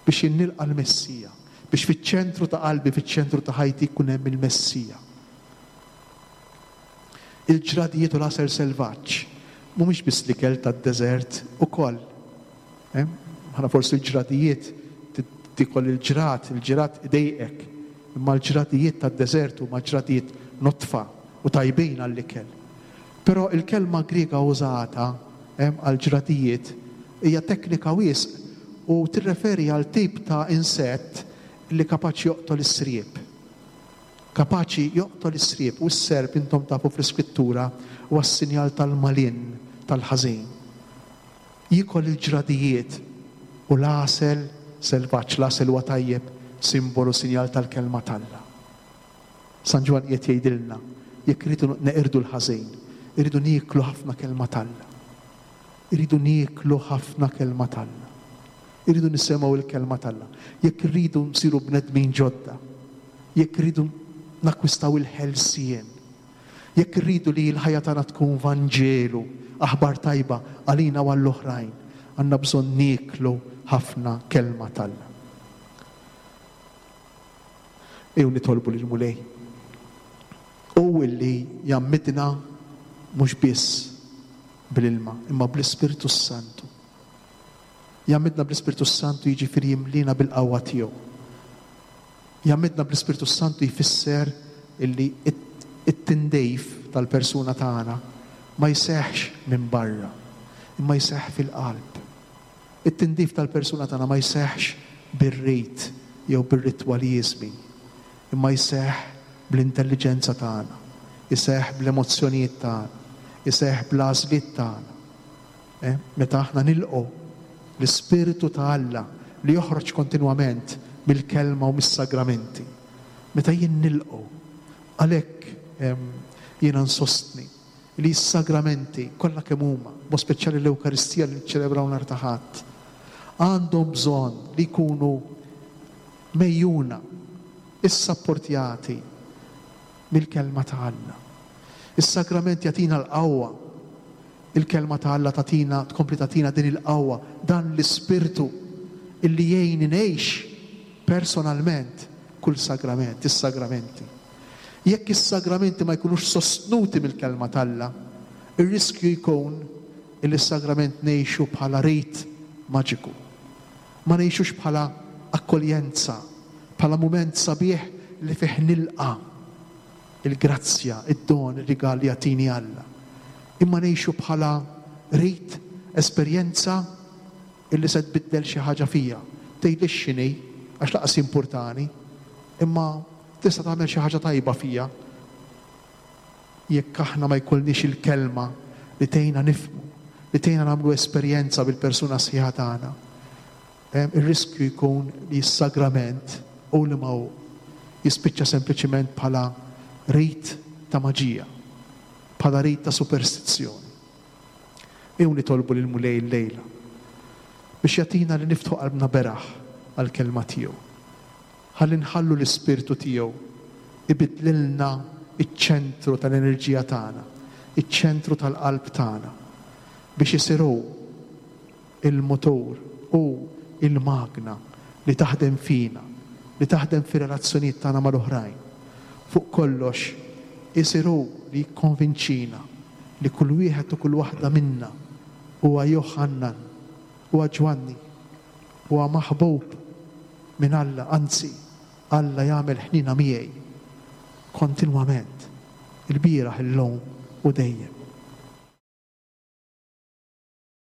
Biex jinnilqa' l-Messija. Biex fiċ-ċentru ta' qalbi, fiċ-ċentru ta' ħajti jkun hemm il-Messija. Il-ġradijiet u l-għasel selvaġġ mhumiex biss l-ikel tad-deżert ukoll. Eh? Ħana forsi l-ġradijiet tikol il-ġrat, il-ġrat idejqek, imma l-ġradijiet tad-deżert huma ġradijiet notfa u tajbin għall-ikel. Però il-kelma Griega użata għal-ġradijiet hija teknika wisq u tirreferi għal tip ta' insett li kapaċi joqtol is-sriep. Kapaċi joqtol is-sriep, u s-serp intom tafu fl-iskrittura huwa s-sinjal tal-malin, tal-ħażin. Jikol il-ġradijiet u l-għasel selvaġġ, l-għasel huwa tajjeb, simbolu, sinjal tal-kelma t'Alla. San Ġwann qiegħed jgħidilna, jekk irridu neqirdu l-ħażin, irridu nieklu ħafna kelma t'Alla. Irridu nieklu ħafna kelma t'Alla. Irridu nisimgħu l-kelma t'Alla. Jekk irridu nsiru bnedmin ġodda, jekk irridu nakkwistaw il-ħelsien, jekk irridu li l-ħajja tagħna tkun Vanġelu, aħbar tajba għalina u għall-oħrajn, għandna bżonn nieklu ħafna kelma t'Alla. Ejjew nitolbu lill-Mulej. U illi jgħammidna mhux biss bl-ilma, imma bl-Ispirtu Santu. Jgħammidna bl-Ispirtu Santu jiġifieri jimlina bil-qawwa tiegħu. Jgħammidna bl-Ispirtu Santu jfisser illi it-tindejf tal-persuna tagħna ma jseħħx minn barra, imma jseħħ fil-qalb. It-tindif tal-persuna tagħna ma jseħħx bir-rit jew bir-ritwaliżmi, imma jseħħ bl-intelliġenza tagħna, jseħħ bl-emozzjonijiet tagħna, jseħħ bl-għażliet tagħna. Eh? Meta aħna nilqgħu l-Ispirtu ta' Alla li joħroġ kontinwament mill-kelma u mis-sagramenti. Meta jien nilqgħu, għalhekk jiena nsostni li s-sagramenti kollha kemm huma, b'mod speċjali l-Ewkaristija li niċċelebraw nhar ta' Ħadd, għandhom bżonn li jkunu mejjuna, issapportjati mill-kelma ta' Alla. Is-sagrament jagħtina l-qawwa. Il-kelma ta' Alla tagħtina, tkompli tagħtina din il-qawwa, dan l-ispirtu illi jgħin ngħix personalment kull sagrament, is-sagramenti. Jekk is-sagramenti ma jkunux sostnuti mill-kelma t'Alla, ir-riskju jkun illi s-sagrament ngħixu bħala rit maġiku. Ma ngħixux bħala akkoljenza, bħala mument sabiħ li fih nilqa' il-grazzja, id-don, ir-rigal li jagħtini Alla. Imma ngħixu bħala rit, esperjenza illi se tbiddel xi ħaġa fija. Tgħidlix x'inhi, għax lanqas jimpurtani, imma tista' tagħmel xi ħaġa tajba fija. Jekk aħna ma jkollniex il-kelma li tgħinna nifhmu, li tgħinna nagħmlu esperjenza bil-persuna sħiħa tagħna, ir-riskju jkun li s-sagrament u li ma hu jispiċċa sempliċiment bħala rit ta' maġija, bħala rit ta' superstizzjoni. Ejjew nitolbu lil Mulej illejla biex jagħtina li niftħu qalbna beraħ għall-kelma tiegħu. Ħalli nħallu l-ispirtu tiegħu ibiddlilna iċ-ċentru tal-enerġija tagħna, iċ-ċentru tal-qalb tagħna, biex isir hu il-motur u il-magna li taħdem fina, li taħdem fir-relazzjonijiet tagħna mal-oħrajn. Fuq kollox, isir hu li jikkonvinċina li kull wieħed u kull waħda minna huwa Johannan, huwa Ġwanni, huwa maħbub minn Alla, anzi, Alla jagħmel ħnina miegħi kontinwament, il-bieraħ, illum u dejjem.